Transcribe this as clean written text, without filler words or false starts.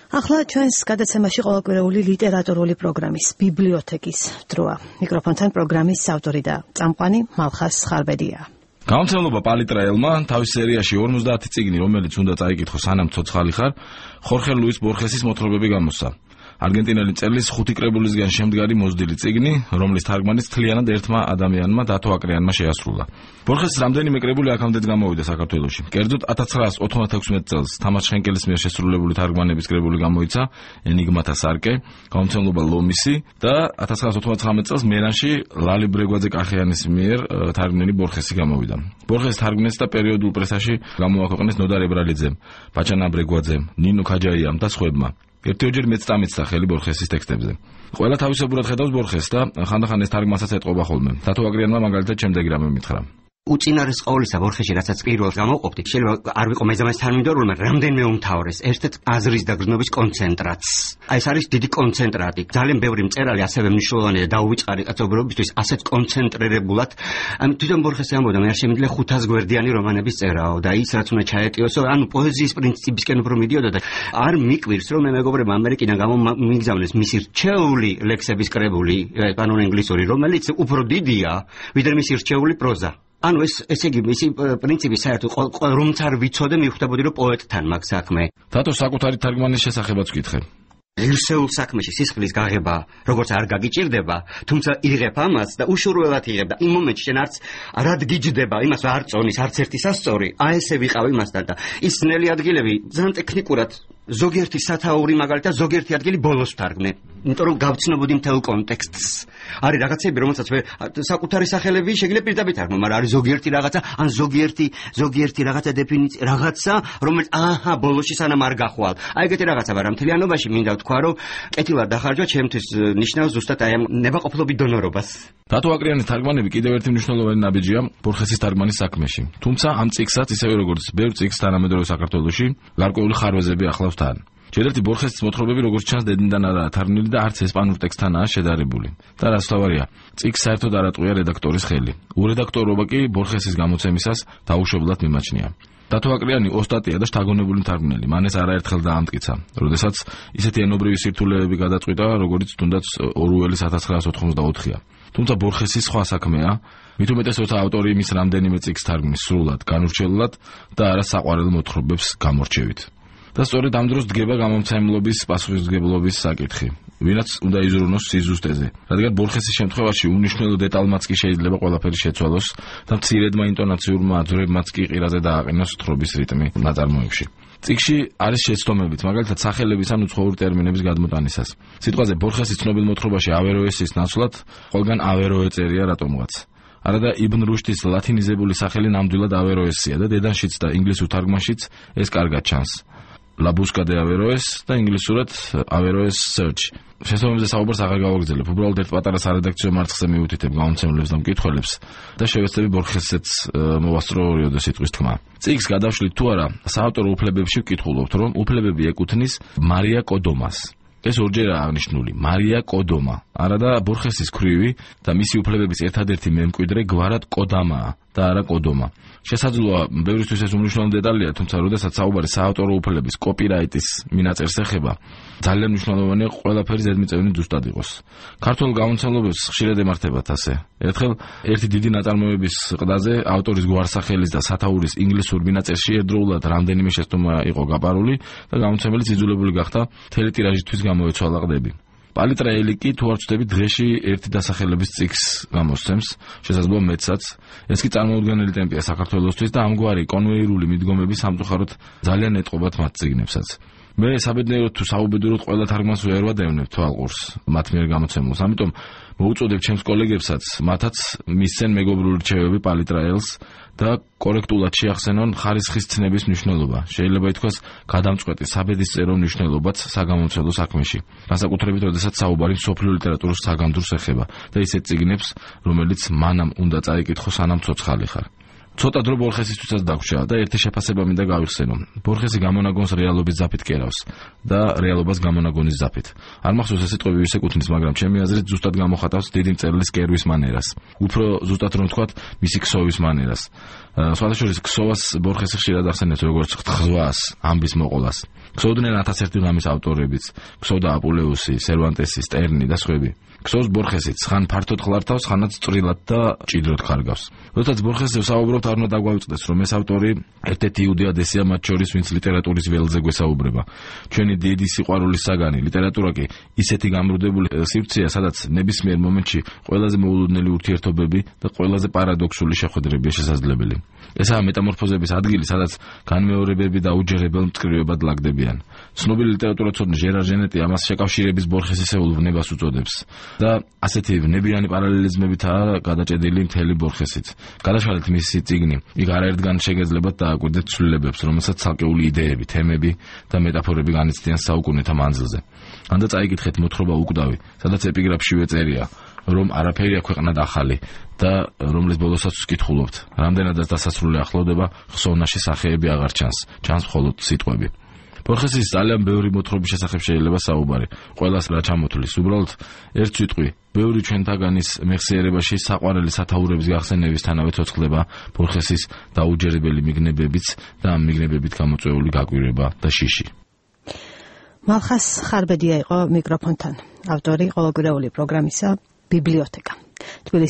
ახლა ჩვენს გადაცემაში ყოველკვირეული ლიტერატურული პროგრამის ბიბლიოთეკის დროა. მიკროფონთან პროგრამის ავტორი და წამყვანი მალხას ხარბედია. გამომცემლობა პალიტრაელმა თავის სერიაში 50 წიგნი, რომელიც უნდა წაიკითხო სანამ ცოცხალი ხარ, ხორხე ლუის ბორხესის მოთხრობები გამოსცა. არგენტინელი მწერლის 5 კრებულისგან შემდგარი მოზრდილი წიგნი, რომლის თარგმანიც თლიანად ერთმა ადამიანმა დათო აკრიანმა შეასრულა. ბორხესის რამდენიმე კრებული აქამდეც გამოვიდა საქართველოში. კერძოდ 1996 წელს თამარ შენკელის მიერ შესრულებული თარგმანების კრებული გამოიცა ენიგმათა სარკე, გამომცემლობა ლომისი და 1999 წელს მერანში ლალი ბრეგვაძე კახიანის მიერ თარგმნილი ბორხესი გამოვიდა. ბორხესის თარგმნეს და პერიოდულ პრესაში გამოაქვეყნეს ნოდარ ებრალიძემ, ბაჭანა ბრეგვაძემ, ნინო ქაჯაიამ და სხვებმა. ერთიოჯერ მეც წამეცდა ხელი ბორხესის ტექსტებზე. ყველა თავისებურად ხედავს ბორხესს და ხანდახან ეს თარგმანსაც ეტყობა ხოლმე. დათო აკრიანმა მაგალითად შემდეგი რამე მითხრა. უწინარეს ყოვლისა ბორხეში, რასაც პირველს გამოვყოფდი, შეიძლება არ ვიყო მეზამეც თანმიმდევრულმა, რამდენიმე უმთავრეს, ერთ-ერთ აზრის და გრძნობის კონცენტრატს. აი ეს არის დიდი კონცენტრატი. ძალიან ბევრი მწერალი ასევე მნიშვნელოვანია და დაუვიწყარი კაცობრიობისთვის ასეთ კონცენტრირებულად. თვითონ ბორხესი ამბობდა, მე არ შემიძლია 500 გვერდიანი რომანების წერაო და ის რაც უნდა ჩაეტიოსო, ანუ პოეზიის პრინციპისკენ უფრო მიდიოდა და არ მიკვირს, რომ მე მეგობრებმა ამერიკიდან გამომიგზავნეს მისი რჩეული ლექსების კრებული, კანონ ინგლისური, რომელიც უფრო დიდია, ვიდრე მისი რჩეული პროზა. ანუ ესე იგი მისი პრინციპი საერთოდ რომც არ ვიცოდე მივხვდებოდი რომ პოეტთან მაქვს საქმე. დათო საკუთარი თარგმანის შესახებაც ვკითხე. ღირსეულ საქმეში სისხლის გაღება როგორც არ გაგიჭირდება, თუმცა იღებ ამას და უშურველად იღებ და იმ მომენტში შენ არც გიჯდება იმას არ წონის არც ერთი სასწორი, აი ესე ვიყავ იმასთან და ის ნელი ადგილები ძალიან ტექნიკურად ზოგიერთი სათაური მაგალითად ზოგიერთი ადგილი ბოლოს ვთარგმნე, იმიტომ რომ გავცნობოდი მთელ კონტექსტს. არის რაღაცები, რომელსაც მე საკუთარი სახელები შეგიძლია პირდაპირ თარგმნო, მაგრამ არის ზოგიერთი რაღაცა, ან ზოგიერთი რაღაცა დეფინიცია, რაღაცა, რომელიც ბოლოში სანამ არ გახვალ. აი ეგეთი რაღაცა, მაგრამ მთლიანობაში მინდა ვთქვა, რომ კეთილად დახარჯვა ჩემთვის ნიშნავს ზუსტად აი ამ ნებაყოფლობის დონორობას. დათო აკრიანის თარგმანები კიდევ ერთი მნიშვნელოვანი ნაბიჯია ბორხესის თარგმანის საქმეში. თუმცა ამ წიგნსაც ისევე როგორც ბევრ წიგნს თანამედროვე საქართველოში გარკვეული ხარვეზები ახლავს თან. ჯერერთი ბორხესის მოთხრობები როგორც ჩანს დედნიდან არაა თარგმნილი და არც ესპანურ ტექსტთანაა შედარებული. და რაც თავარია, წიგნს საერთოდ არ ატყვია რედაქტორის ხელი. ურედაქტორობა კი ბორხესის გამოცემისას დაუშვებლად მიმაჩნია. დათო აკრიანი ოსტატია და შთაგონებული მთარგმნელი. მან ეს არაერთხელ დაამტკიცა, როდესაც ისეთი ენობრივი სირთულეები გადაწყვიტა, როგორც თუნდაც ორუელის 1984-ია. თუმცა ბორხესის სხვა საქმეა, მით უმეტეს როცა ავტორი იმის რამდენიმე წიგნს თარგმნის სრულად, განურჩევლად და არა საყვარელ მოთხრობებს გამორჩევით. და სწორედ ამ დროს დგება გამომცემლობის პასუხისმგებლობის საკითხი. ვინაც უნდა იზრუნოს სიზუსტეზე, რადგან ბორხესის შემთხვევაში უნიშნელო დეტალმაც კი შეიძლება ყველაფერი შეცვალოს და მცირედმა ინტონაციურმა აძვრებმაც კი ყირაზე დააყენოს თხრობის რიტმი ნაწარმოებში. წიგნში არის შეცდომებიც, მაგალითად სახელების ან უცხოური ტერმინების გადმოტანისას. სიტყვაზე ბორხესის ცნობილ მოთხრობაში ავეროესის ნაცვლად ყველგან ავეროე წერია რატომღაც. არადა იბნ რუშდის ლათინიზებული სახელი ნამდვილად ავეროესია და დედანშიც და ინგლისურ თარგმანშიც ეს კარგად ჩანს. La busca de Averroes და ინგლისურად Averroes search. შესაბამისად საუბარს აღარ გავაგრძელებ. უბრალოდ ერთ პატარა სარედაქციო მარცხზე მივუთითებ გამომცემლებს და მკითხველებს და შევეცდები ბორხესსაც მოვასწრო ორიოდე სიტყვის თქმა. წიგნს გადავშლით თუ არა, საავტორო უფლებებში ვკითხულობთ, რომ უფლებები ეკუთვნის მარია კოდომას. ეს ორჯერაა აღნიშნული, მარია კოდომა. არადა ბორხესის ქვრივი და მისი უფლებების ერთადერთი მემკვიდრე გვარად კოდამაა და არა კოდომა. შესაძლოა ბევრისთვის ეს უმნიშვნელოვანესი დეტალია, თუმცა როდესაც საუბარი საავტორო უფლების კოპირაიტის მინაწერს ეხება, ძალიან მნიშვნელოვანია ყველაფერი ზედმიწევნით ზუსტად იყოს. ქართულ გამომცემლობებს ხშირად ემართებათ ასე. ერთხელ ერთი დიდი ნაწარმოების ყდაზე ავტორის გვარსახელის და სათაურის ინგლისურ მინაწერში ერთდროულად რამდენიმე შეცდომა იყო გაპარული და გამომცემელი იძულებული გახდა მთელი ტირაჟისთვის გამოეცვალა ყდები. პალიტრაელი კი თუ არ ვწდები დღეში ერთი დასახელების წიგნს გამოსცემს, შესაძლოა მეცაც. ეს კი წარმოუდგენელი ტემპია საქართველოსთვის და ამგვარი კონვეირული მიდგომები სამწუხაროდ ძალიან ეტყობათ მათ წიგნებსაც. მე საბედნიეროდ თუ საუბედუროდ ყველა თარგმანს ვერ ვადევნებ თვალყურს მათ მიერ გამოცემულს. ამიტომ მოუწოდებ ჩემს კოლეგებსაც, მათაც მისცენ მეგობრული რჩევები პალიტრაელს და კორექტულად შეახსენონ ხარისხის ცნების მნიშვნელობა. შეიძლება ითქვას გადამწყვეტი საბედისწერო მნიშვნელობაც საგამომცემლო საქმეში. განსაკუთრებით, როდესაც საუბარი მსოფლიო ლიტერატურის საგამდროს ეხება და ისეთ წიგნებს, რომელიც მანამ უნდა წაიკითხო სანამ ცოცხალი ხარ. ცოტა დრო ბორხესისთვისაც დაგვრჩა და ერთი შეფასება მინდა გავიხსენო. ბორხესი გამონაგონს რეალობის ზაფით კერავს და რეალობას გამონაგონის ზაფით. არ მახსოვს ეს სიტყვები ვის ეკუთვნის, მაგრამ ჩემი აზრით ზუსტად გამოხატავს დიდი მწერლის კერვის მანერას. უფრო ზუსტად რომ ვთქვათ, მისი ქსოვის მანერას. სხვადასხვა ქსოვას ბორხესი ხშირად ახსენებს როგორც ხზვას, ამბის მოყოლას. ქსოვდნენ 1001 ღამის ავტორებიც, ქსოვდა აპულეუსი, სერვანტესი, სტერნი და სხვები. ქსოვს ბორხესიც, ხან ფართოდ ხლართავს, ხანაც წვრილად და ჭიდროდ ხარგავს. როდესაც ბორხესზე ვსაუბრობთ, არ უნდა დაგვაუწყდეს, რომ ეს ავტორი ერთ-ერთი იუდეადესია მათ შორის, ვინც ლიტერატურის ველზე გვესაუბრება. ჩვენი დიდი სიყვარულის საგანი, ლიტერატურა კი ისეთი გამრუდებული სივრცეა, სადაც ნებისმიერ მომენტში ყველაზე მოულოდნელი ურთიერთობები და ყველაზე პარადოქსული შეხვედრებია შესაძლებელი. ესაა მეტამორფოზების ადგილი, სადაც განმეორებები და უჯერებელ მწკრივებად ლაგდებიან. ცნობილი ლიტერატურაცოდნე ჟერარ ჟენეტი ამას შეკავშირების ბორხესისეულ ვნებას უწოდებს და ასეთი ვნებიანი პარალელიზმებითაა გადაჭედილი მთელი ბორხესიც. გადაშალეთ მისი წიგნი, იქ არაერთგან შეგეძლებათ დააკვირდეთ ცვლილებებს, რომელსაც ცალკეული იდეები, თემები და მეტაფორები განიცდიან საუკუნეთა მანძილზე. ანდა წაიკითხეთ მოთხრობა უკვდავი, სადაც ეპიგრაფშივე წერია, რომ არაფერია ქვეყნად ახალი და რომლის ბოლოსაც ვკითხულობთ. რამდენადაც დასასრული ახლოვდება, ხსოვნაში სახეები აღარ ჩანს, ჩანს მხოლოდ სიტყვები. ბორხესის ძალიან ბევრი მოთხრობის შესახებ შეიძლება საუბარი. ყველას რა ჩამოთვლის, უბრალოდ ერთ სიტყვი, ბევრი ჩვენთაგანის მეხსიერებაში საყვარელი სათაურების გახსენებისთანავე ცოცხლდება ბორხესის დაუჯერებელი მიგნებებიც და ამ მიგნებებით გამოწვეული გაკვირვება და შიში. მალხას ხარბედია იყო მიკროფონთან. ავტორი ყოველკვირეული პროგრამისა ბიბლიოთეკა.